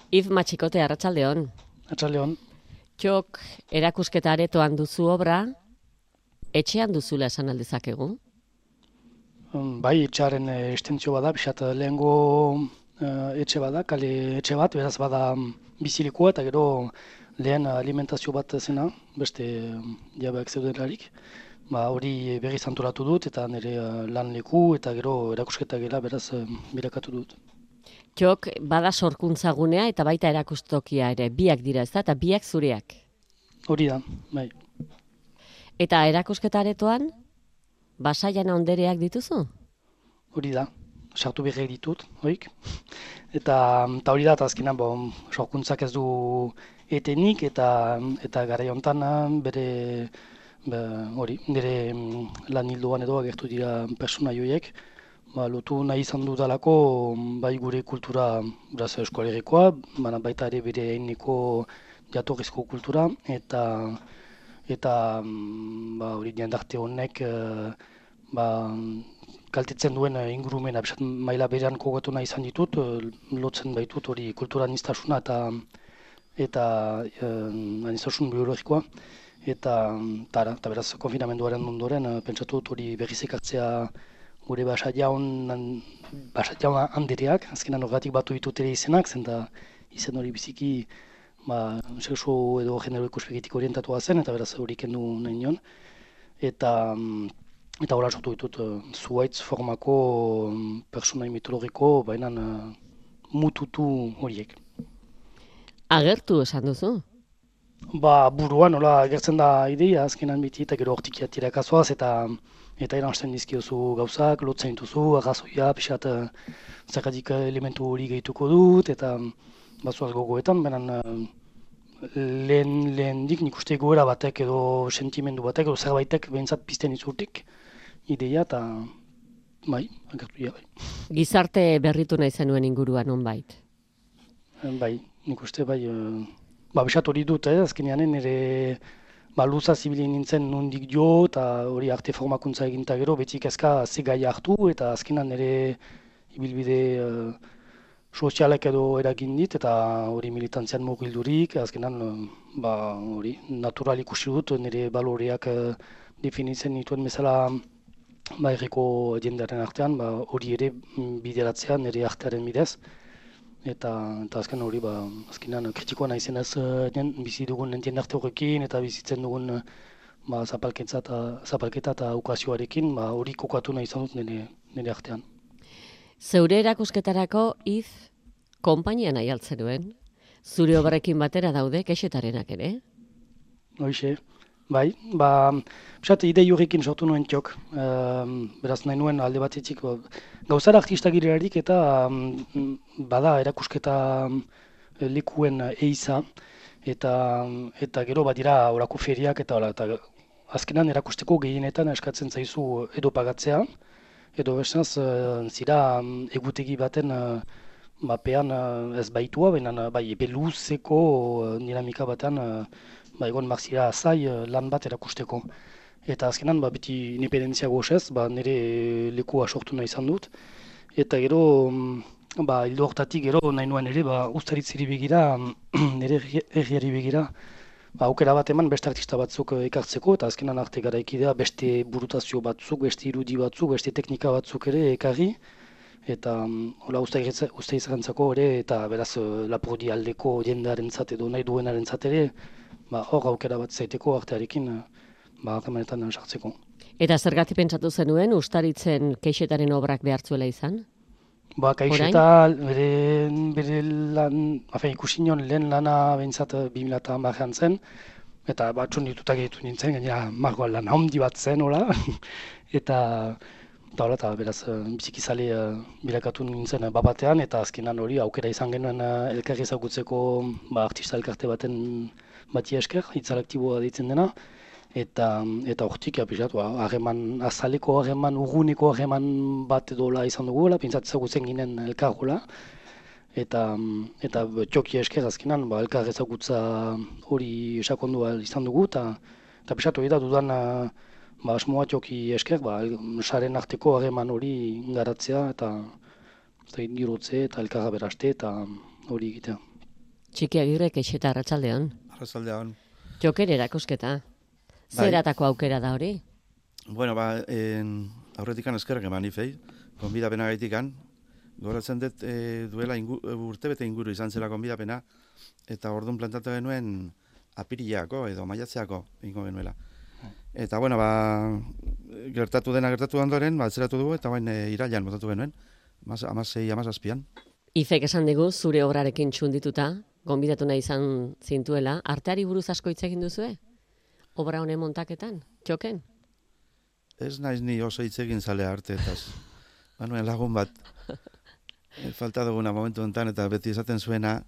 If Matxikote, arratsaldeon. Arratsaldeon. Txok, erakusketa aretoan duzu obra, etxean duzula esan aldezakegu? Bai, etxearen estentzio bada, pixat lehengo etxe bada, kale etxe bat, beraz bada bizilekua eta gero lehen alimentazio bat zena, beste jabeak zeudelarik. Hori berriz antolatu dut eta nire lan leku eta gero erakusketa gela beraz birakatu dut. Txok, bada sorkuntzagunea eta baita erakustokia ere, biak dira ez da, eta biak zureak. Hori da, bai. Eta erakusketa aretoan, Basaian Ondereak dituzu? Hori da, sartu berriak ditut, horik. Eta hori da, eta azkenan, sorkuntzak ez du etenik eta garai hontan bere nire lan hildoan edo agertu dira pertsona joiek. Lotu nahi izan dudalako bai gure kultura beraz eskolegikoa, baita ere bere eineko jatorrizko kultura eta hori jendarte honek kaltetzen duen ingurumena maila berean kokatu nahi izan ditut, lotzen baitut hori kulturaniztasuna eta aniztasun biologikoa. Eta beraz konfinamenduaren ondoren pentsatu dut hori berriz ekartzea gure Basaian Andereak, azkenan horregatik batu ditut ere izenak, zenta izen hori biziki sexu edo genero ikuspegitik orientatua zen, eta beraz hori kendu nahi nion. Eta hola sortu ditut zuhaitz formako personai mitologiko, baina mututu horiek. Agertu esan duzu? Buruan nola agertzen da ideia, azkenan biti eta gero hortik tirakazoaz eta eransten dizkiozu gauzak, lotzen dituzu, arrazoia, pixat zergatik elementu hori gehituko dut, eta bazuaz gogoetan, baina lehendik nik uste goera batek edo sentimendu batek edo zerbaitek behintzat pizten izurtik ideia, eta bai, agertu dira, bai. Gizarte berritu nahi zenuen inguruan nonbait? Bai, nik uste bai, bisat hori dut, azkenean nire luza zibilien nintzen nondik jo, eta hori arte formakuntza eginta gero, betik ezka ze gai hartu, eta azkenan nire ibilbide sozialek edo eragin dit, eta hori militantzian mugildurik, azkenan hori natural ikusi dut, nire baloreak definitzen nituen bezala herriko jendearen artean, hori ere bideratzea nire artearen bidez. Eta azken hori, azkenan kritikoa nahi zenez bizi dugun jendarte horrekin eta bizitzen dugun zapalketa eta ukazioarekin, hori kokatu nahi izan dut nire artean. Zeure erakusketarako konpainia nahi altzenuen? Zure obrekin batera daude kexetarenak ere? Hoxe, bai, idei horrekin sortu nuen Txok, beraz nahi nuen alde batetik gauzara artista girelarik eta bada erakusketa lekuen eiza eta gero badira orako feriak eta azkenan erakusteko gehienetan eskatzen zaizu edo pagatzea edo bestenaz zira egutegi baten pean ez baitua, baina epe luzeko dinamika batean egon marzira zai lan bat erakusteko. Eta azkenan beti independentzia gozez, nire lekua sortu nahi izan dut. Eta gero, hildo hortatik gero nahi nuen ere, ustaritzeri begira, nire herriari begira, aukera bat eman beste artista batzuk ekartzeko, eta azkenan arte garaikidea beste burutazio batzuk, beste irudi batzuk, beste teknika batzuk ere ekarri. Eta ustaizarantzako ere, eta beraz Lapurdi aldeko jendearentzat edo nahi duenarentzat ere, hor aukera bat zaiteko artearekin harremanetan sartzeko. Eta zergatik pentsatu zenuen Ustaritzen Keixetaren obrak behartzuela izan? Keixeta bere lan, ikusi nion lehen lana behintzat 2010an zen, eta batxun ditutak egitu nintzen, gainera margoa lan handi bat zen, eta beraz bizikizale bilakatu nintzen batean, eta azkenan hori aukera izan genuen elkarri ezagutzeko artista elkarte baten bati esker, hitzalaktiboa deitzen dena, eta hortik azaleko harreman, urguneko harreman bat edola izan dugu, pintzat ezagutzen ginen elkargola, eta Txoki esker azkenan elkar ezagutza hori esakondua izan dugu, eta pisatu hori da dudan asmoa Txoki esker, saren arteko harreman hori garatzea, eta dirotze eta elkarra beraste eta hori egitea. Txiki Agirrek Eixeta Arratsaldeon. Arratsaldeon. Joker erakusketa. Bai. Zeratako aukera da hori? Bueno, aurretikan eskerrak eman ifei, konbidapena gaitikan. Goratzen dut duela urtebete inguru izan zela konbidapena, eta orduan plantatu genuen apirileako edo maiatzeako ingo genuela. Eta, bueno, gertatu ondoren, atzeratu dugu, eta bain irailan botatu genuen, 16-17an. Ifek esan digu, zure obrarekin txundituta, gonbidatu nahi izan zintuela, arteari buruz asko hitz egin duzue? Obra honen montaketan, txoken? Ez naiz ni oso hitz egin zalea arteetaz. Banuen lagun bat, falta duguna momentu honetan, eta beti esaten zuena,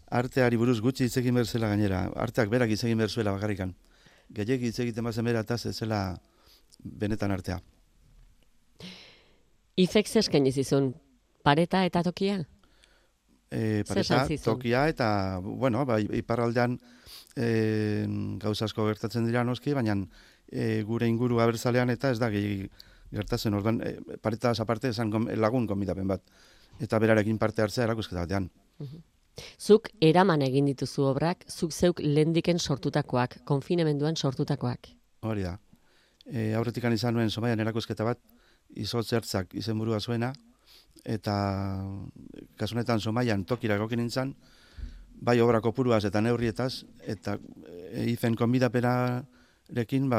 arteari buruz gutxi hitz egin berzela gainera, arteak berak hitz egin berzuela bakarrikan. Gehiek hitz egiten bazen berataz, ez zela benetan artea. Ifek zeskaini zizun, pareta eta tokia? Pareta, tokia eta, bueno, iparraldean gauza asko gertatzen dira noski, baina gure inguru abertzalean eta ez da gehi gertatzen, orduan paretaz aparte esan lagun konbidapen bat, eta berarekin parte hartzea erakusketa batean. Zuk eraman egin dituzu obrak, zuk zeuk lehendiken sortutakoak, konfinemenduan sortutakoak. Hori da. Aurretikan izan nuen Zomaian erakusketa bat, izotz ertzak izenburua zuena, eta kasunetan Zomaian tokira egokin nintzen, bai obra kopuruaz eta neurrietaz, eta ifen konbidapenarekin,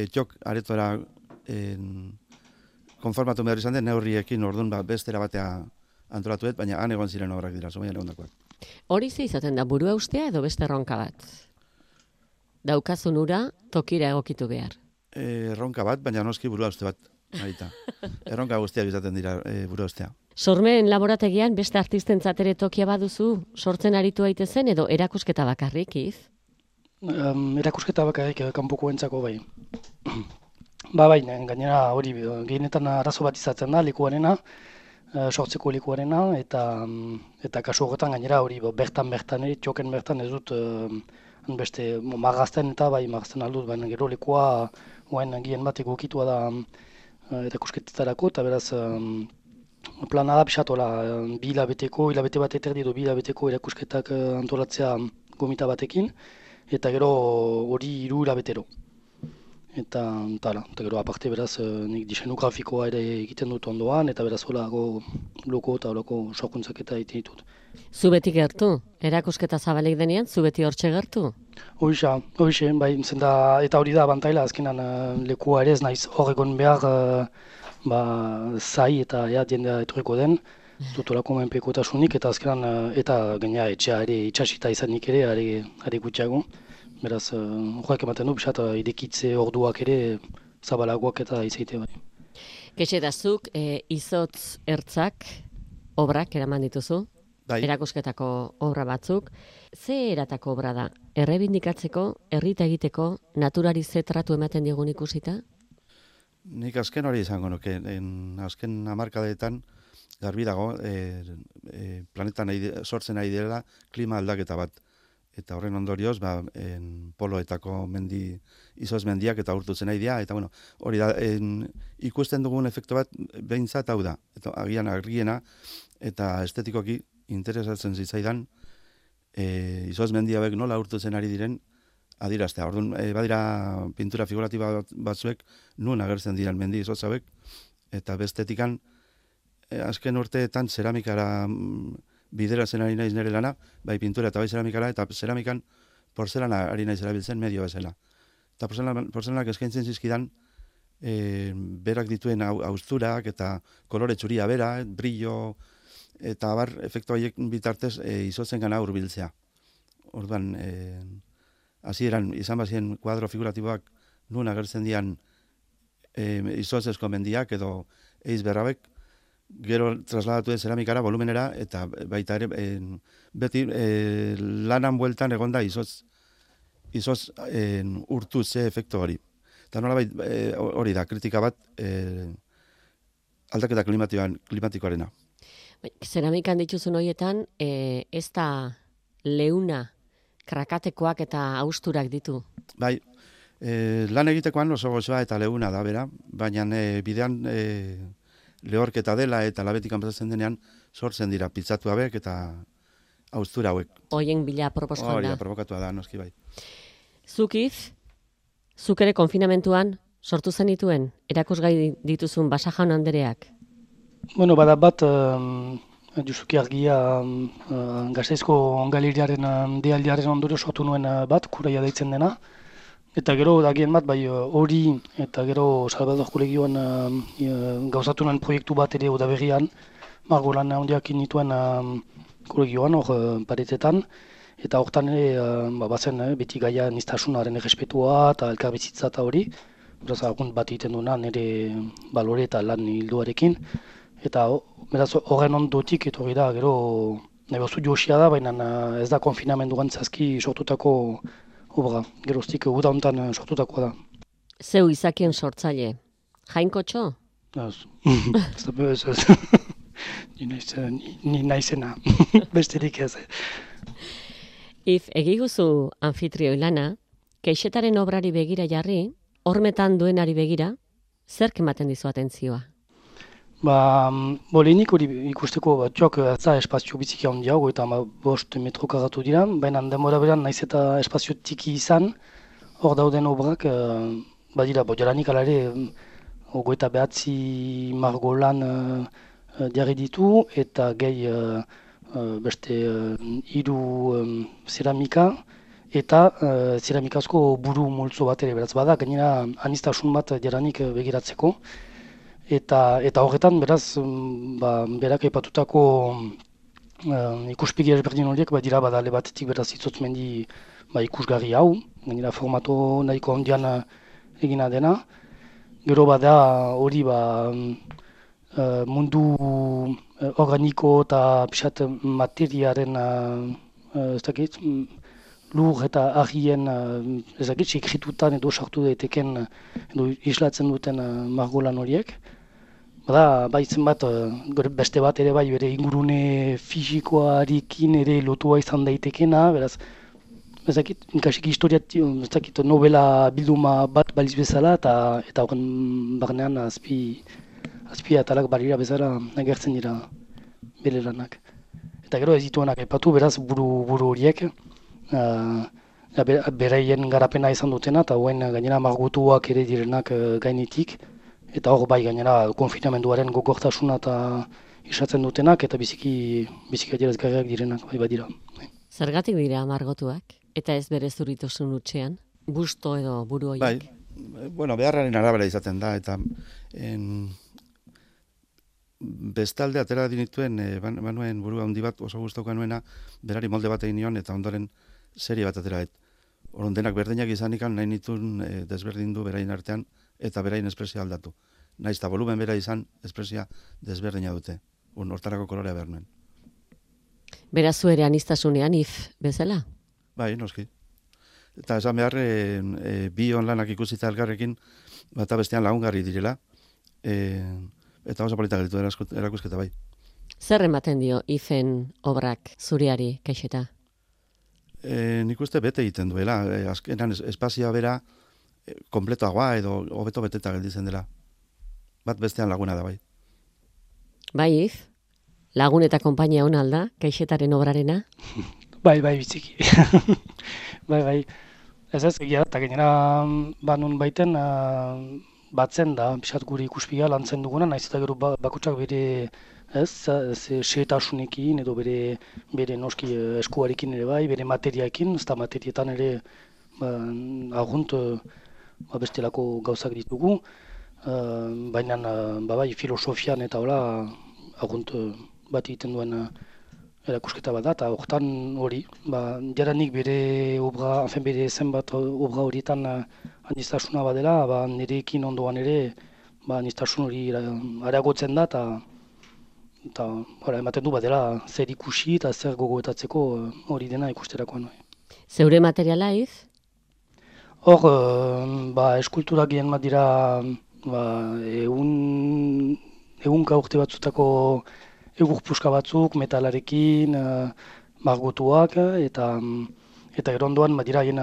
txok aretora konformatu behar izan den neurriekin orduan bestera batea antolatuet, baina han egon ziren obrak dira, Zomaian egondakoak. Hori ze izaten da, burua ustea edo beste erronka bat? Daukazun ura, tokira egokitu behar. Erronka bat, baina noski burua uste bat. Erronka guztiak izaten dira burua ustea. Sormeen laborategian beste artistentzat ere tokia baduzu, sortzen aritu aitezen edo erakusketa bakarrik, Iz? Erakusketa bakarrik kanpokoentzako bai. Bai, gainera hori gehienetan arazo bat izaten da, lekuarena, sortzeko lekuarena, eta kasu horretan gainera hori bertan, txoken bertan ez dut beste marrazten eta bai marrazten aldut, baina gero lekua oain gien bat egokitua da erakusketetarako, eta beraz plana da pixatola, hilabete bat eterdi edo 2 hilabeteko erakusketak antolatzea gomita batekin, eta gero hori 3 hilabetero. Eta gero aparte beraz nik diseinu grafikoa ere egiten dut ondoan, eta beraz holago loko eta holako sorkuntzak eta egiten ditut. Zu beti gertu? Erakusketa zabalik denean, zu beti hortxe gertu? Hoxe, bai, eta hori da abantaila, azkenan lekua ere ez naiz hor egon behar zai eta jendea etorriko den, dut olako menpekotasunik, eta azkenan, eta gaina etxea ere itxasita izanik ere, are gutxiago. Beraz, horrek ematen du, bisat, idekitze orduak ere zabalagoak eta izaite bai. Kexetazuk, izotz ertzak obrak eraman dituzu, Bai. erakusketako obra batzuk. Ze eratako obra da? Errebindikatzeko, herrita egiteko, naturari ze tratu ematen digun ikusita? Nik azken hori izango nuke, azken hamarkadetan garbi dago, planetan sortzen ari direla klima aldaketa bat. Eta horren ondorioz, poloetako izotz mendiak eta urtutzen nahi dira, eta bueno, hori da, ikusten dugun efektu bat behintzat hau da, eta agian argiena, eta estetikoki interesatzen zitzaidan, izotz mendi hauek nola urtutzen ari diren adiraztea. Orduan, badira pintura figuratiba batzuek nun agertzen diren mendi izotz hauek, eta bestetikan, azken urteetan zeramikara bideratzen ari naiz nire lana, bai pintura eta bai zeramikara, eta zeramikan porzelana ari naiz erabiltzen medio bezala. Eta porzelanak eskaintzen zizkidan berak dituen austurak eta kolore txuria bera, brillo, eta abar efektu horiek bitartez izotzen gana hurbiltzea. Orduan, hasieran izan bazien kuadro figuratiboak nun agertzen dian izotzezko mendiak edo eiz berrabek, gero trasladatu den zeramikara, volumenera, eta baita ere, beti lanan bueltan egonda izotz urtu ze efektu hori. Eta nolabait hori da, kritika bat aldaketa klimatikoarena. Zeramikan dituzun horietan, ez da leuna, krakatekoak eta austurak ditu? Bai, lan egitekoan oso gozoa eta leuna da, bera, baina bidean lehorketa dela eta labetik pasatzen denean sortzen dira pitzatu hauek eta haustura hauek. Hoien bila proposkan Hori da. da, provokatua da, noski bai. Zukiz, zuk ere konfinamentuan sortu zenituen erakusgai dituzun Basa Jaun Andereak. Bueno, bada bat, Justuki Argia Gasteizko galeriaren dealdiaren ondorio sortu nuen bat, kuraia deitzen dena. Eta gero dagien bat, bai hori eta gero Salvador Kolegioan gauzatu nuen proiektu bat ere udaberrian, margolan handiak nituen kolegioan, hor paretetan. Eta hortan ere, bazen beti gaia niztasunaren errespetua eta elkarbizitza eta hori. Beraz, argunt bat egiten duena nire balore eta lan hilduarekin. Eta beraz, horren ondotik etorri da, gero nahi bazu josia da, baina ez da konfinamenduan zazki sortutako obra. Geroztik uda honetan sortutakoa da. Zeu izakien sortzaile, Jainkotxo? Ez, ez. Ni naizena, besterik ez. If egiguzu anfitrioi lana, Keixetaren obrari begira jarri, hormetan duenari begira, zerk ematen dizu atentzioa? Lehenik hori ikusteko batzuak ez da espazio biziki handia, 55 metro karratu dira, baina denbora beran naiz eta espazio tiki izan, hor dauden obrak, badira, jaranik ala ere, 29 margolan jarri ditu, eta gehi beste 3 zeramika, eta zeramikazko buru multzo bat ere, beraz bada, gainera aniztasun bat jaranik begiratzeko. Eta horretan, beraz, berak aipatutako ikuspegi ezberdin horiek, dira badale batetik beraz itzotzmendi ikusgarri hau, gainera formato nahiko handian egina dena. Gero bada hori mundu organiko eta pixat materiaren, ez dakit, lur eta argien, ez dakit, sekritutan edo sartu daiteken edo islatzen duten margolan horiek. Bada, baitzen bat, beste bat ere bere ingurune fisikoarekin ere lotua izan daitekena, beraz, ez dakit, kasik historiat, ez dakit, novela bilduma bat baliz bezala, eta horren barnean azpi atalak barira bezala agertzen dira bere lanak. Eta gero ez dituenak aipatu, beraz, buru horiek, beraien garapena izan dutena, eta hoen gainera margotuak ere direnak gainetik, eta hor gainera konfinamenduaren gogortasuna eta isatzen dutenak, eta biziki adierazgarriak direnak badira. Zergatik dira margotuak? Eta ez bere zuritosun utxean? Busto edo buru horiek? Bueno, beharraren arabera izaten da, eta bestalde atera dinituen, banuen buru handi bat oso guztauka nuena, berari molde bat egin nion, eta ondoren serie bat atera. Orduan denak berdinak izanikan nahi nituen desberdindu berain artean, eta berain espresia aldatu. Naiz eta volumen bera izan, espresia desberdina dute. Hortarako kolorea behar nuen. Beraz zu ere aniztasunean bezala? Bai, noski. Eta esan behar, bi onlanak ikusita elkarrekin, bata bestean lagungarri direla, eta oso politak ditu erakusketa bai. Zer ematen dio IFen obrak zuriari, Keixeta? Nik uste bete egiten duela. Azkenan espazioa bera kompletoagoa edo hobeto beteta gelditzen dela. Bat bestean laguna da bai. Bai, If? Lagun eta konpainia hona alda, Keixetaren obrarena? Bai, biziki. bai. Ez egia, eta gainera banun baiten batzen da, pixat guri ikuspiga lantzen duguna, naiz eta gero bakutsak bere seetasunekin edo bere noski eskuarekin ere bai, bere materiaekin, ez da materietan ere argunt bestelako gauzak ditugu, baina bai filosofian eta hola argunt bat egiten duen erakusketa bat da, eta hortan hori, jaranik bere obra, bere zenbat obra horietan aniztasuna badela, nirekin ondoan ere aniztasun hori areagotzen da, eta ematen du badela zer ikusi eta zer gogoetatzeko hori dena ikusterakoan. Zeure materiala, If? Hor, eskulturak gien bat dira ehunka urte batzutako egur puska batzuk, metalarekin, margotuak, eta gero ondoan dira haien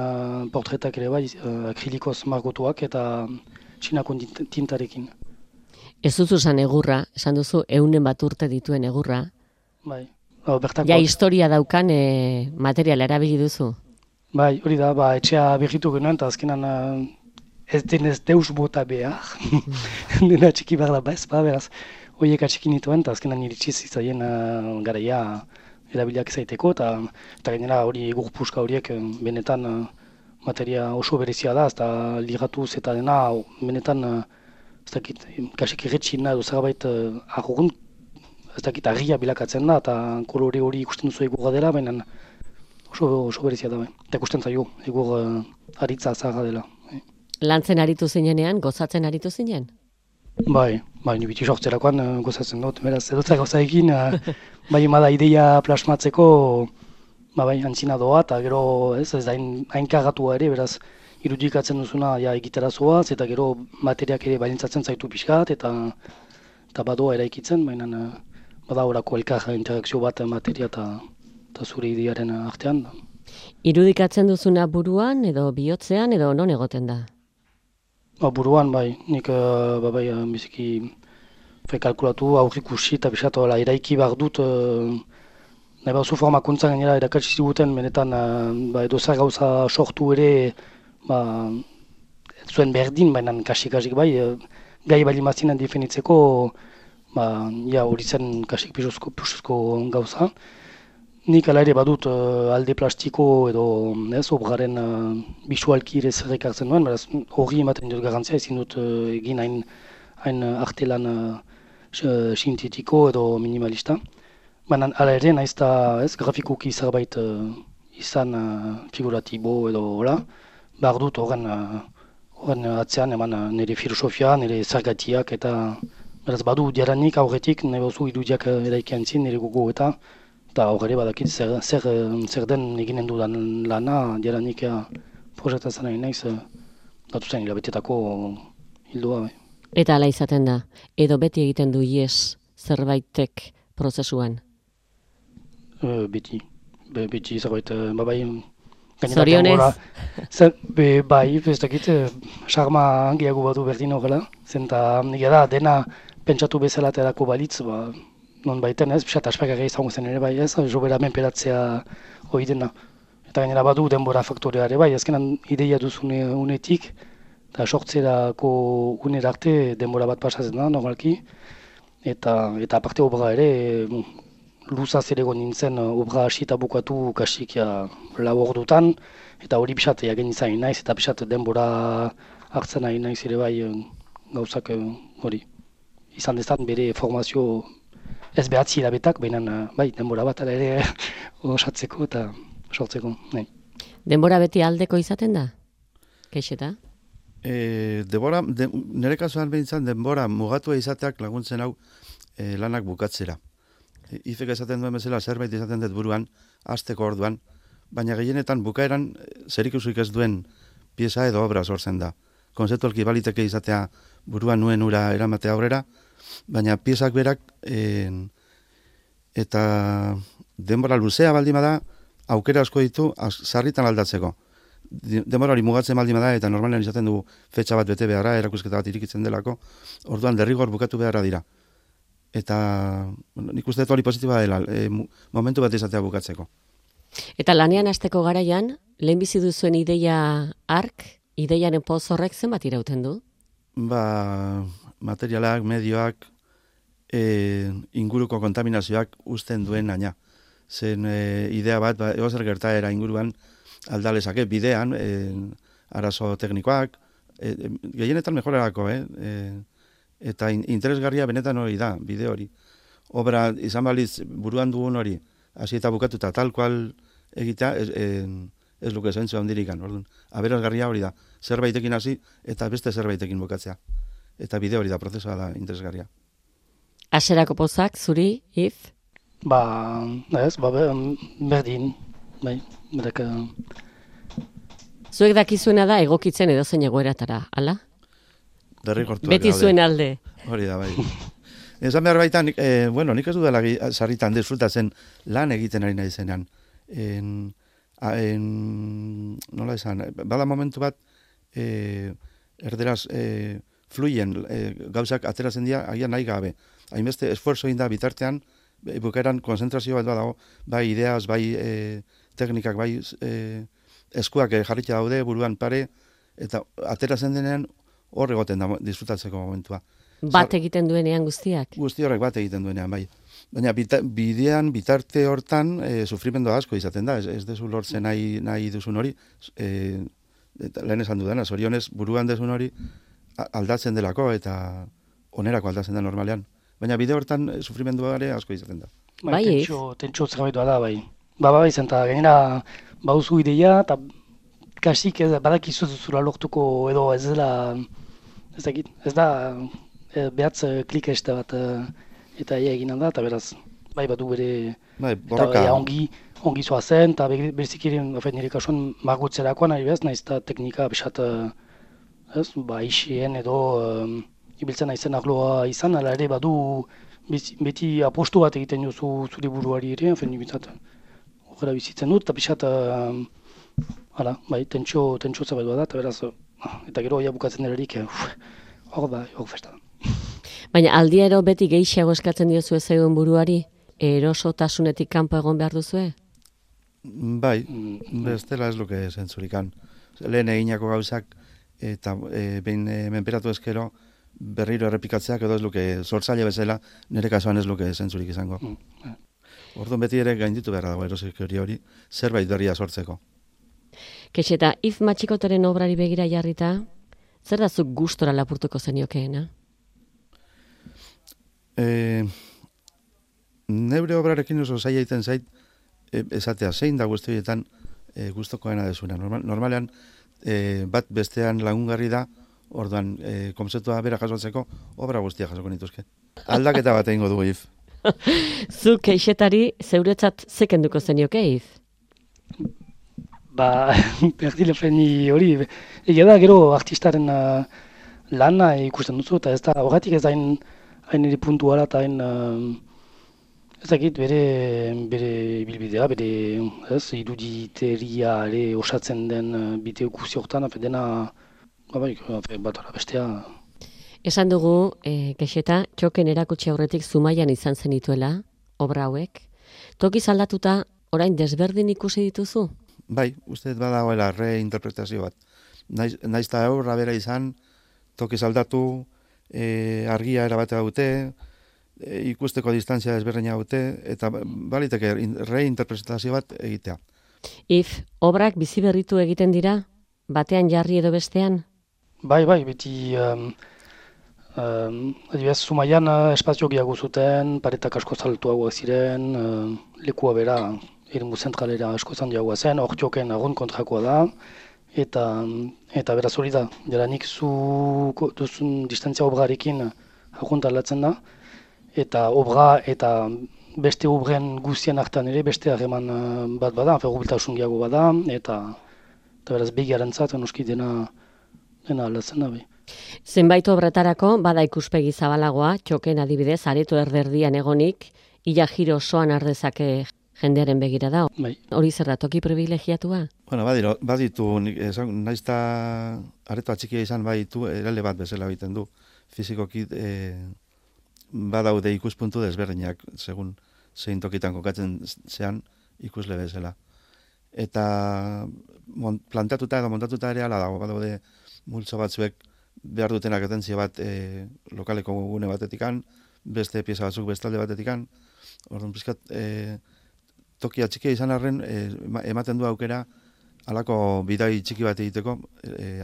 portretak ere bai, akrilikoz margotuak eta txinako tintarekin. Ez duzu esan egurra, esan duzu 100 bat urte dituen egurra. Bai, bertakoak. Ja, historia daukan materiala erabili duzu. Bai, hori da, etxea berritu genuen, eta azkenan ez denez deus bota behar. Dena txiki behar da bez, beraz, horiek atxiki nituen, eta azkenan iritsi zitzaien garaia erabiliak zaiteko, eta gainera hori egurpuska horiek benetan materia oso berezia da, eta ligatuz eta dena benetan, ez dakit, kasik irretxina edo zerbait arrunt, ez dakit, argia bilakatzen da, eta kolore hori ikusten duzu egurra dela, baina oso berezia da, bai. Eta ikusten zaio, egur aritza zaharra dela. Lantzen aritu zinenean, gozatzen aritu zinen? Bai, ni biti sortzerakoan gozatzen dut, beraz, edotza gauza egin, bai emada ideia plasmatzeko, bai, antzina doa, eta gero, ez da hain kagatua ere, beraz, irudikatzen duzuna egitera zoaz, eta gero materiak ere balintzatzen zaitu pixkat, eta badoa eraikitzen, baina bada horako elkar interakzio bat materia eta zure idearen artean. Irudikatzen duzuna buruan, edo bihotzean, edo non egoten da? Buruan, bai, nik biziki kalkulatu, aurrikusi eta bisatu eraiki behar dut, nahi behar zu formakuntzan gainera erakatsi ziguten, benetan edo zer gauza sortu ere, zuen berdin, baina kasik bai, gai bali mazinen definitzeko, hori zen kasik pisuzko gauza. Nik ala ere badut alde plastiko edo obraren bisualki ere zerrek hartzen duen, beraz hori ematen dut garantzia, ezin dut egin hain artelan sintetiko edo minimalista. Baina ala ere naiz eta grafikoki zerbait izan figuratibo edo hola, behar dut horren atzean eman nire filosofia, nire zergatiak eta beraz badu diaranik aurretik nahi bauzu irudiak eraikian zin nire gogo eta horre badakit zer den eginen dudan lana diaranik proiektatzen nahi naiz datu zen hilabetetako hildoa. Bai. Eta ala izaten da, edo beti egiten du ies zerbaitek prozesuan? Beti zerbait, bai. Zorionez? Bai, ez dakit, sarma gehiago badu berdin horrela, zenta nire da dena pentsatu bezala terako balitz, non baiten ez, pixat aspakarra izango zen ere bai ez, jobera menperatzea hori dena. Eta gainera badu denbora faktorea ere bai, azkenan ideia duzune unetik, eta sortzerako unera arte denbora bat pasatzen da, normalki. Eta aparte obra ere, luzaz ere nintzen obra hasi eta bukatu kasik lau ordutan, eta hori pixat jagen izan naiz, eta pixat denbora hartzen nahi naiz ere bai gauzak hori. Izan dezan bere formazio ez behatzi hilabetak, baina bai, denbora bat ere osatzeko eta sortzeko. Nahi. Denbora beti aldeko izaten da? Keixeta? Nire kasuan behintzen denbora mugatua izateak laguntzen hau lanak bukatzera. Ifek esaten duen bezala zerbait izaten dut buruan, hasteko orduan, baina gehienetan bukaeran zerikusirik ez duen pieza edo obra sortzen da. Konzeptualki baliteke izatea buruan nuen ura eramatea aurrera, baina piezak berak eta denbora luzea baldin bada aukera asko ditu sarritan aldatzeko. Denbora hori mugatzen baldin bada eta normalean izaten dugu fetxa bat bete beharra, erakusketa bat irikitzen delako, orduan derrigor bukatu beharra dira. Eta nik uste dut hori positiba dela, momentu bat izatea bukatzeko. Eta lanean hasteko garaian, lehenbizi duzuen ideia ark, ideiaren poz horrek zenbat irauten du? Materialak, medioak, inguruko kontaminazioak uzten duen aina. Zen idea bat, egozer gertaera inguruan aldalezake, bidean, arazo teknikoak, gehienetan mejorarako, eta interesgarria benetan hori da, bide hori. Obra izan baliz buruan dugun hori, hasi eta bukatuta tal kual egitea, ez luke zentzu handirikan. Aberasgarria hori da, zerbaitekin hasi eta beste zerbaitekin bukatzea. Eta bide hori da, prozesua da interesgarria. Aserako pozak, zuri, if? Berdin, bai, berak... Zuek dakizuena da egokitzen edozein egoeratara, ala? Derrigortuak beti daude. zuen alde. Hori da, bai. Esan behar baita, nik ez du dela sarritan disfrutatzen lan egiten ari nahi zenean. Nola esan, bada momentu bat, erderaz fluyen gauzak ateratzen dira, agian nahi gabe. Hainbeste esfuerzo egin da bitartean, bukaeran konzentrazio bat badago, bai ideaz, bai teknikak, bai eskuak jarrita daude, buruan pare, eta ateratzen denean hor egoten da disfrutatzeko momentua. Bat egiten duenean guztiak? Guzti horrek bat egiten duenean, bai. Baina bidean, bitarte hortan, sufrimendu asko izaten da, ez dezu lortzen nahi duzun hori, lehen esan dudana, zorionez buruan duzun hori aldatzen delako eta onerako aldatzen da normalean. Baina bide hortan sufrimendua ere asko izaten da. Bai, tentxo zerbaitua da, bai. Bai, zenta, gainera, bauzu ideia, eta kasik badakizu zuzura lortuko edo ez dela, ez da, behatz klik este bat eta egin da, eta beraz, bai badu bere, eta ongi zoa zen, eta berezik ere, nire kasuan margutzerakoan ari bez, nahiz eta teknika besat, isien edo ibiltzen naizen arloa izan, ala ere badu beti apostu bat egiten duzu zure buruari ere, bizat, horrela bizitzen dut, eta bizat, bai, tentxo zerbait da, eta beraz, eta gero bukatzen delerik, hor festa. Baina aldiero beti gehiago eskatzen diozu ezegun buruari, erosotasunetik kanpo egon behar duzue? Bai, bestela ez luke zentzurikan. Lehen eginako gauzak, eta behin menperatu ezkero, berriro errepikatzeak edo ez luke sortzaile bezala, nire kasuan ez luke zentzurik izango. Orduan beti ere gainditu behar dago erosik hori, zerbait berria sortzeko. Kexeta, If Matxikotoren obrari begira jarrita, zer da zuk gustora lapurtuko zeniokeena? Neure obrarekin oso zaila egiten zait, esatea zein da guzti horietan gustokoena desuna. Normalean, bat bestean lagungarri da, orduan, konzeptua bera jasotzeko, obra guztia jasoko nituzke. Aldaketa bat egingo dugu, If. Zuk keixetari zeuretzat zekenduko zenioke, If? Berdilefeni hori, egia da gero artistaren lana ikusten duzu, eta ez da, horretik ez hain ere puntuala eta hain, ez dakit bere bilbidea, bere iruditeria ere osatzen den bideo guzi horretan, dena, bat ara bestea. Esan dugu, Kexeta, txoken erakutsi aurretik Zumaian izan zenituela, obra hauek. Tokiz aldatuta, orain desberdin ikusi dituzu? Bai, uste badagoela reinterpretazio bat. Naiz eta obra bera izan, tokiz aldatu, argia erabatea dute, ikusteko distantzia desberdina dute, eta baliteke reinterpretazio bat egitea. If, obrak bizi berritu egiten dira? Batean jarri edo bestean? Bai, beti adibidez, Zumaian espazio gehiago zuten, paretak asko zaltuagoak ziren, lekua bera, eremu zentralera asko zandiagoa zen, hor joken agon kontrakoa da, eta beraz hori da, jaranik zu duzun distantzia obrarekin agunt aldatzen da, eta obra eta beste obren guztien hartan ere beste harreman bat bada, ferrobiltasun gehiago bada, eta beraz begiarentzat noski dena aldatzen da. Zenbait obretarako bada ikuspegi zabalagoa, txoken adibidez, areto erderdian egonik, ila giro osoan ardezake jendearen begira da. Hori zer da, toki privilegiatua? Bueno, baditu, naiz eta areto atxikia izan baditu, erale bat bezala egiten du. Fizikoki badaude ikuspuntu desberdinak, segun zein tokitan kokatzen zean ikusle bezala. Eta plantatuta edo montatuta ere ala dago, badaude multzo batzuek behar dutenak atentzio bat lokaleko gune batetikan, beste pieza batzuk bestalde batetikan, orduan pizkat toki atxikia izan arren ematen du aukera halako bidai txiki bat egiteko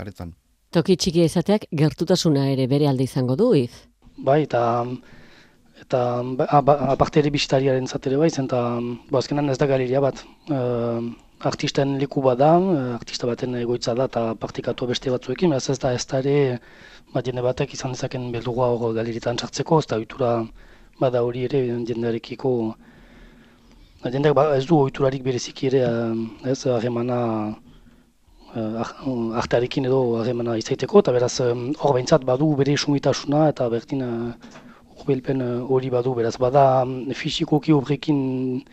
aretan. Toki txikia izateak gertutasuna ere bere alde izango du, If? Bai, eta aparte ere bisitariaren zatere bai, eta azkenan ez da galeria bat. Artisten leku bat da, artista baten egoitza da eta praktikatu beste batzuekin, beraz ez da ere jende batek izan dezaken beldurua hor galerietan sartzeko, ez da ohitura bada hori ere jendearekiko, jendeak ez du ohiturarik bereziki ere, ez harremana artearekin edo harremana izaiteko, eta beraz hor behintzat badu bere sumitasuna eta bertin urbelpen hori badu, beraz bada fisikoki obrekin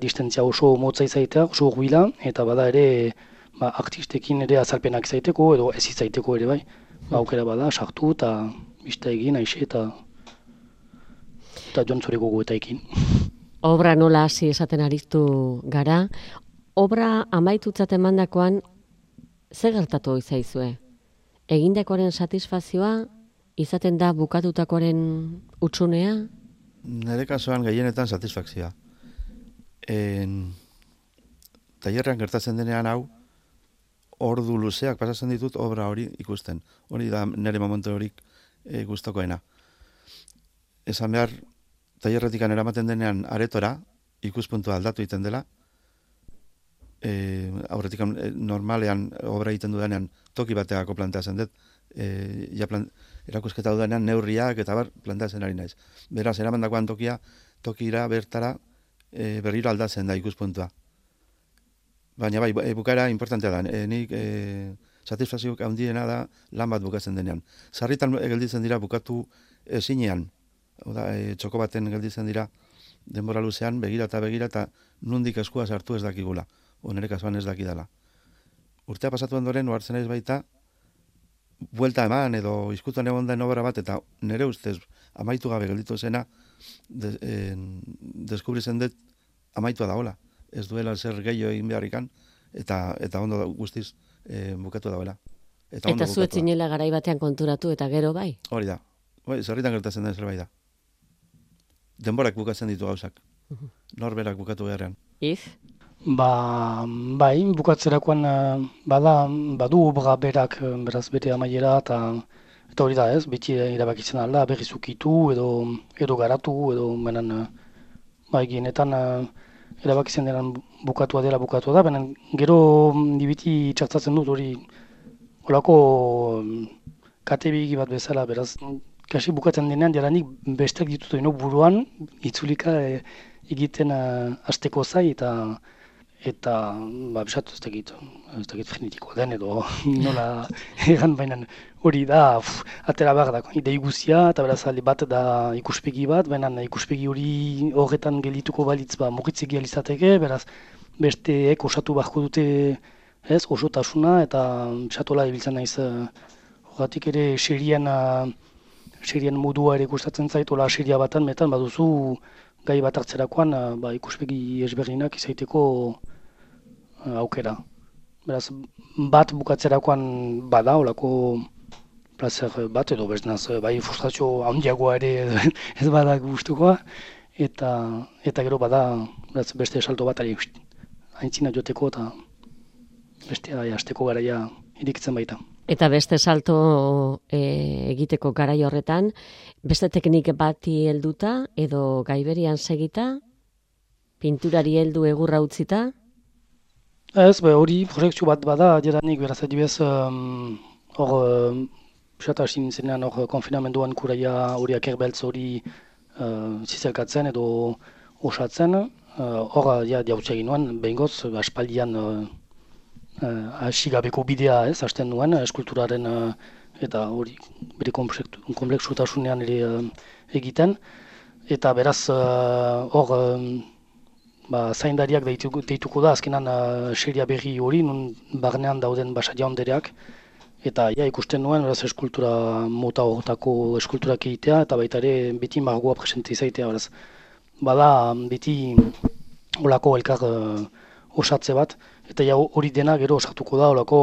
distantzia oso motza izaitea, oso huila, eta bada ere artistekin ere azalpenak izaiteko, edo ez izaiteko ere bai. Aukera bada, sartu eta bista egin, aixe eta... eta jontzore gogoetaekin. Obra nola hasi esaten aritu gara, obra amaitutzat emandakoan zer gertatu izaizue? Egindakoaren satisfazioa izaten da bukatutakoaren utsunea? Nire kasuan gehienetan satisfakzioa. Tailerrean gertatzen denean hau, ordu luzeak pasatzen ditut obra hori ikusten. Hori da nire momentu horik gustokoena. Esan behar, tailerretik eramaten denean aretora, ikuspuntua aldatu egiten dela, aurretik normalean obra egiten dudanean toki bateako planteatzen dut, erakusketa dudanean neurriak eta planteatzen ari naiz. Beraz, eramandakoan tokira bertara berriro aldatzen da ikuspuntua. Baina bai, bukaera importantea da. Nik satisfazioak handiena da lan bat bukatzen denean. Sarritan gelditzen dira bukatu ezinean. Txoko baten gelditzen dira denbora luzean, begira eta nundik eskua sartu ez dakigula. Nire kasuan ez dakidala. Urtea pasatu ondoren, ohartzen naiz baita, buelta eman edo izkutuan egon den obra bat, eta nire ustez amaitu gabe gelditu zena, deskubritzen dut amaitua dagoela. Ez duela zer gehiago egin beharrikan, eta ondo guztiz bukatu dagoela. Eta zuetzinela garai batean konturatu, eta gero bai? Hori da. Zerritan gertatzen den zerbait da. Denborak bukatzen ditu gauzak. Norberak bukatu beharrean. Bai, bukatzerakoan badu obra berak beraz bere amaiera, eta hori da ez, beti irabakitzen alda, berriz ukitu edo garatu, edo menan gienetan erabakitzen denan bukatua da, baina gero dibiti txartzatzen dut hori olako katebigi bat bezala, beraz, kasi bukatzen denean jaranik besteak ditutu buruan, itzulika egiten hasteko zai, eta bisatu ez dakit frenetikoa den edo nola egan baina hori da atera behar da idei guzia eta beraz alde bat da ikuspegi bat, baina ikuspegi hori horretan geldituko balitz mugitzegi alizateke, beraz besteek osatu beharko dute osotasuna eta bisatola ibiltzen naiz horretik ere serien modua ere gustatzen zait, hola seria batan metan baduzu gai bat hartzerakoan ikuspegi ezberdinak izaiteko aukera. Beraz, bat bukatzerakoan bada, olako plazer bat, edo beznaz, bai frustrazio handiagoa ere ez bada gustukoa, eta gero bada beste salto bat ari aintzina joteko eta beste hasteko garaia irikitzen baita. Eta beste salto egiteko garai horretan, beste teknik bati helduta edo gaiberian segita, pinturari heldu egurra utzita? Ez, hori proiektu bat bada, jeranik beraz adibez, hor, pisata hasi nintzenean hor konfinamenduan kuraia horiak erbeltz hori zizelkatzen edo osatzen, hor jautze egin nuen, behingoz, aspaldian hasi gabeko bidea hasten nuen, eskulturaren eta hori bere kompleksutasunean ere egiten, eta beraz hor zaindariak deituko da, azkenan seria berri hori, nun barnean dauden basa jaundereak, eta ikusten nuen, beraz eskultura mota horretako eskulturak egitea, eta baita ere beti margoa presente izaitea, beraz bada beti olako elkar osatze bat, eta hori dena gero osatuko da, olako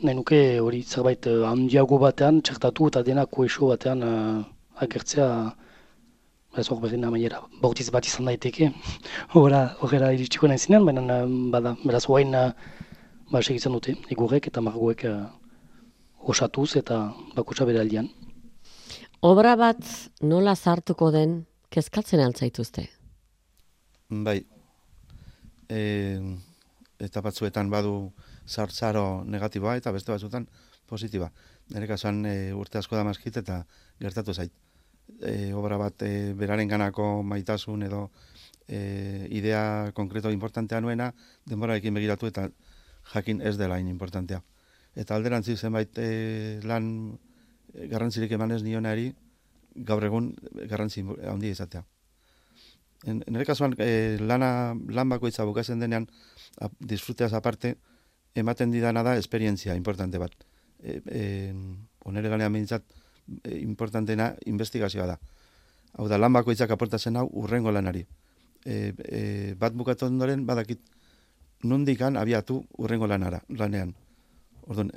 nahi nuke hori zerbait handiago batean txertatu eta dena koesio batean agertzea. Beraz hor berdin amaiera, bautiz bat izan daiteke, horrela iritsiko nahi zinean, baina bada, beraz hoain segitzen dute, egurrek eta margoek osatuz eta bakutsa bere aldian. Obra bat nola zartuko den, kezkatzen altzaituzte? Bai, eta batzuetan badu zartzaro negatiboa eta beste batzuetan positiba. Nire kasuan urte asko da mazkit eta gertatu zait. Obra bat beraren ganako maitasun edo idea konkreto importantea nuena, denborarekin begiratu eta jakin ez dela importantea. Eta alderantzi zenbait lan garrantzirik emanez nionari gaur egun garrantzi handia izatea. Nire kasuan lan bakoitza bukatzen denean, disfruteaz aparte, ematen didana da esperientzia importante bat. Onere ganean behintzat, importanteena investigazioa da. Hau da, lan bakoitzak aportatzen hau urrengo lanari. Bat bukatu ondoren, badakit nondikan abiatu urrengo lanean. Orduan,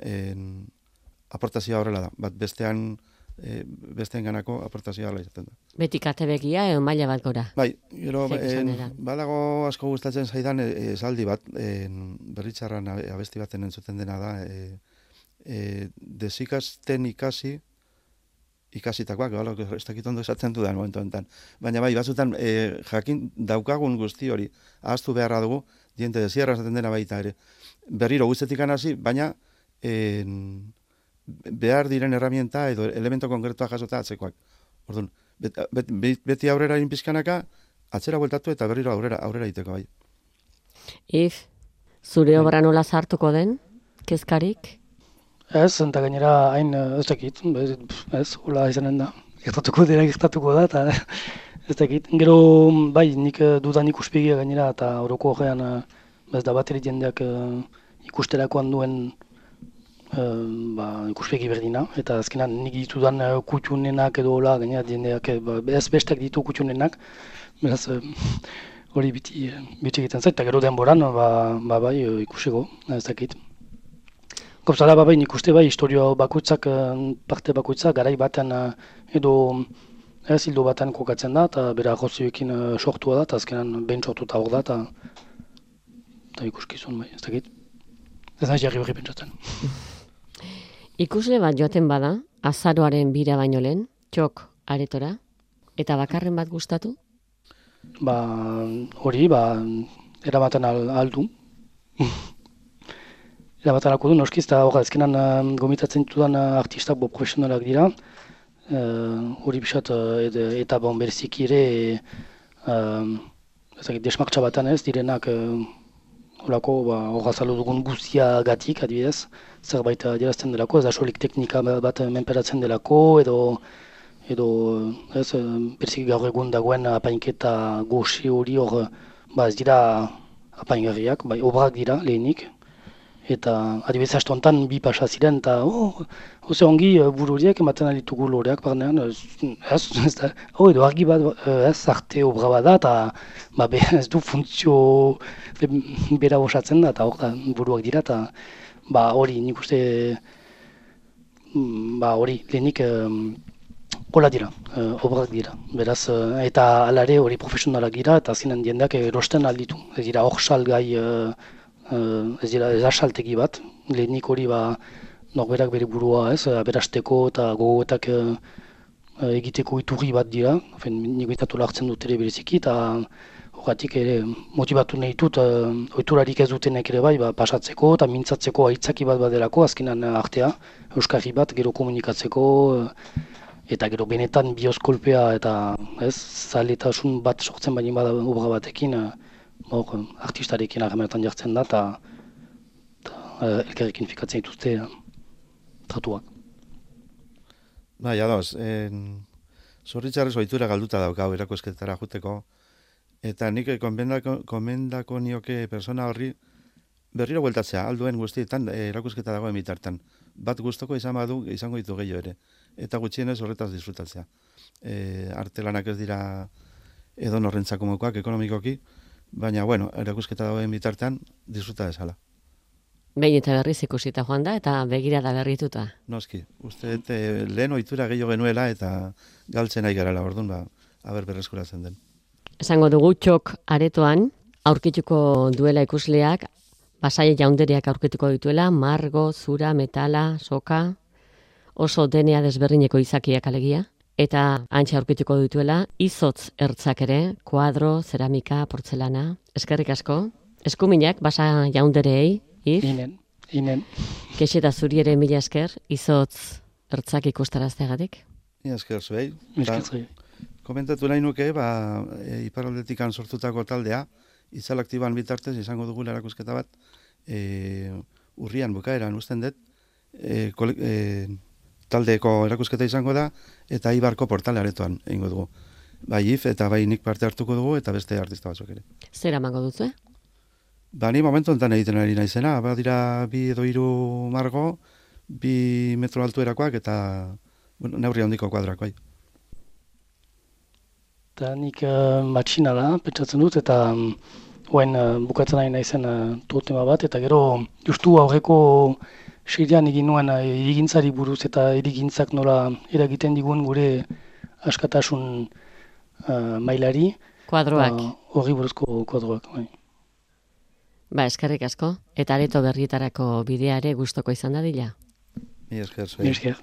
aportazioa horrela da, bat besteen ganako aportazioa horrela izaten da. Beti kate begia, maila bat gora. Bai, gero, badago asko gustatzen zaidan esaldi bat, Berritzarran abesti baten entzuten dena da, desikasten ikasitakoak, ez dakit ondo esatzen dudan momentu enten. Baina bai, batzutan jakin daukagun guzti hori, ahaztu beharra dugu, diente desierra esaten dena baita ere. Berriro guztetik hasi, baina behar diren herramienta edo elemento konkretua jasota atzekoak. Orduan, beti aurrera inpizkanaka, atzera bueltatu eta berriro aurrera iteko bai. Zure obra nola sartuko den, kezkarik? Ez, eta gainera hain ez dakit, ez, hola izanen da. Gertatuko da, eta ez dakit. Gero, bai, nik dudan ikuspegia gainera, eta oroko horrean, ez da bateri jendeak ikusterakoan duen ikuspegi berdina, eta azkenan nik ditudan kutxunenak edo hola, gainera jendeak, ez bestak ditu kutxunenak, beraz, hori biti egiten zait, eta gero denboran, bai, ikusiko, ez dakit. Gauzala, bai, nik uste bai, historio bakoitzak, parte bakoitzak, garai baten edo hildo baten kokatzen da, eta bera gozioekin sortua da, eta azkenan behin sortuta hor da, eta ikuskizun, bai, ez dakit. Ez nahi jarri berri pentsatzen. Ikusle bat joaten bada, azaroaren bira baino lehen, txok aretora, eta bakarren bat gustatu? Hori, eramaten aldu. Eramaten alko du, noskiz, eta hori ezkenan gomitatzen ditudan artistak profesionalak dira. Hori bisat, eta berziki ere, desmartxa batan ez, direnak horako horrazalo dugun guztia gatik, adibidez, zerbait adierazten delako, ez da solik teknika bat menperatzen delako, edo ez, berziki gaur egun dagoen apainketa goxe hori hor, ez dira apaingarriak, bai, obrak dira lehenik, eta adibidez astontan bi pasa ziren, eta oze ongi buru horiek ematen alitugu loreak barnean, ez da, edo argi bat, ez, arte obra bat da, eta ez du funtzio bera osatzen da, eta hor da buruak dira, eta hori nik uste, hori lehenik hola dira, obrak dira, beraz, eta alare hori profesionalak dira, eta zinen diendeak erosten alditu, ez dira hor salgai, ez dira ez asaltegi bat, lehenik hori norberak bere burua ez, aberasteko eta gogoetak egiteko iturri bat dira, nik betatu hartzen dut ere bereziki, eta horretik ere motibatu nahi dut, oiturarik ez dutenek ere bai, pasatzeko eta mintzatzeko aitzaki bat badelako, azkenan artea, euskarri bat, gero komunikatzeko, eta gero benetan bioskolpea eta ez, zaletasun bat sortzen baino bada obra batekin, artistarekin harremanetan jartzen da, eta elkarrekin fikatzen dituzte tratuak. Bai, adoz, zorritzarrez ohitura galduta daukau erakusketara juteko, eta nik komendako nioke persona horri berriro bueltatzea, alduen guztietan erakusketa dagoen bitartan. Bat gustoko izango ditu gehiago ere, eta gutxienez horretaz disfrutatzea. Artelanak ez dira edo norrentzako mokoak ekonomikoki, baina, bueno, erakusketa dagoen bitartean disfruta dezala. Behin eta berriz ikusita joan da, eta begirada berrituta. Noski, uste lehen ohitura gehiago genuela, eta galtzen ari garala, orduan, berreskuratzen den. Esango dugu txok aretoan, aurkituko duela ikusleak, Pasaia Jaundereak aurkituko dituela, margo, zura, metala, soka, oso denea desberdineko izakiak alegia, eta antxe aurkituko dituela, izotz ertzak ere, kuadro, zeramika, portzelana. Eskerrik asko. Eskuminak, Basa Jaunderei, Inen. Kexeta zuri ere mila esker, izotz ertzak ikustarazteagatik. Mila esker zuei. Komentatu nahi nuke, iparraldetikan sortutako taldea, Itzal Aktiban bitartez izango dugu erakusketa bat, urrian bukaeran usten dut, taldeko erakusketa izango da, eta Ibarko portale aretoan egingo dugu. Bai if eta bai nik parte hartuko dugu, eta beste artista batzuk ere. Zer amango duzu, Ni momentu enten egiten ari naizena, dira 2 edo 3 margo, 2 metro altuerakoak, eta neurri handiko kuadrak, bai. Eta nik matxina da, pentsatzen dut, eta oain bukatzen nahi naizen tema bat, eta gero justu aurreko seian egin nuen irigintzari buruz eta irigintzak nola eragiten digun gure askatasun mailari. Kuadroak. Horri buruzko kuadroak, bai. Eskerrik asko, eta areto berrietarako bidea ere gustoko izan dadila. Mi esker, Mi esker.